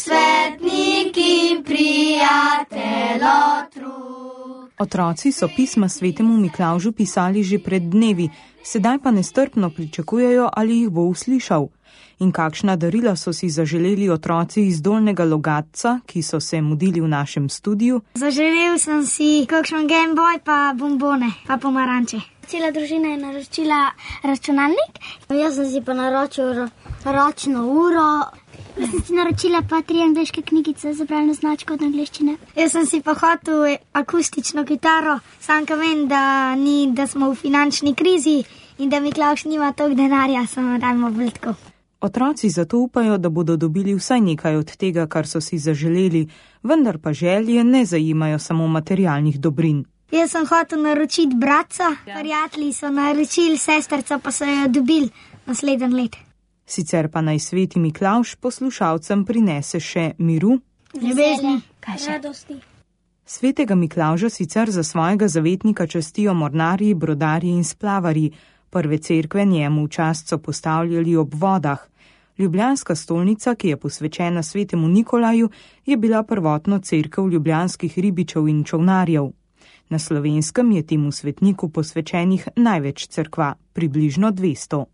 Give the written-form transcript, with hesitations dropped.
svetniki, prijatelj otrok. Otroci so pisma svetemu Miklavžu pisali že pred dnevi, sedaj pa nestrpno pričakujejo, ali jih bo uslišal. In kakšna darila so si zaželeli otroci iz Dolnjega Logatca, ki so se mudili v našem studiu? Zaželel sem si kakšen Game Boy, pa bombone, pa pomaranče. Cela družina je naročila računalnik. Jaz sem si pa naročil ročno uro. Jaz sem si naročila pa 3 angleške knjigice za bralno značko od angleščine. Jaz sem si pa hotel akustično kitaro, sam ka vem, da smo v finančni krizi in da Miklavž nima toliko denarja, samo dajmo bolj tako. Otroci zato upajo, da bodo dobili vsaj nekaj od tega, kar so si zaželeli, vendar pa želje ne zajimajo samo materialnih dobrin. Jaz sem hotel naročiti bratca, prijatelji so naročili, sesterca pa so jo dobili naslednji let. Sicer pa naj sveti Miklavž poslušalcem prinese še miru, ljubezni, radosti. Svetega Miklavža sicer za svojega zavetnika častijo mornarji, brodarji in splavarji. Prve cerkve njemu v čast so postavljali ob vodah. Ljubljanska stolnica, ki je posvečena svetemu Nikolaju, je bila prvotno cerkev ljubljanskih ribičev in čolnarjev. Na Slovenskem je temu svetniku posvečenih največ cerkva, približno 200.